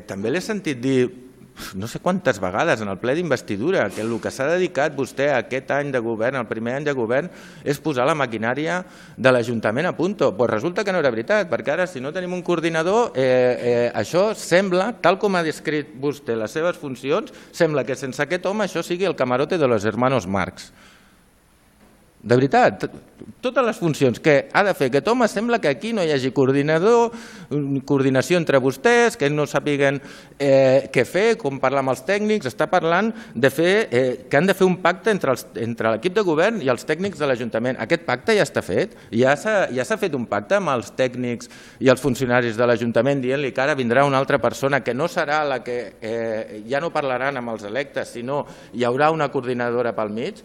També l'he sentit dir no sé quantes vegades en el ple d'investidura que el que s'ha dedicat vostè a aquest any de govern, el primer any de govern, és posar la maquinària de l'Ajuntament a punt. Doncs resulta que no era veritat, perquè ara si no tenim un coordinador, això sembla, tal com ha descrit vostè les seves funcions, sembla que sense aquest home això sigui el camarote de los hermanos Marx. De veritat, totes les funcions que ha de fer aquest home sembla que aquí no hi hagi coordinació entre vostès, que no sàpiguen què fer, com parlar amb els tècnics. Està parlant que han de fer un pacte entre l'equip de govern i els tècnics de l'Ajuntament. Aquest pacte ja està fet, ja s'ha fet un pacte amb els tècnics i els funcionaris de l'Ajuntament dient-li que ara vindrà una altra persona que no serà la que ja no parlaran amb els electes, sinó hi haurà una coordinadora pel mig.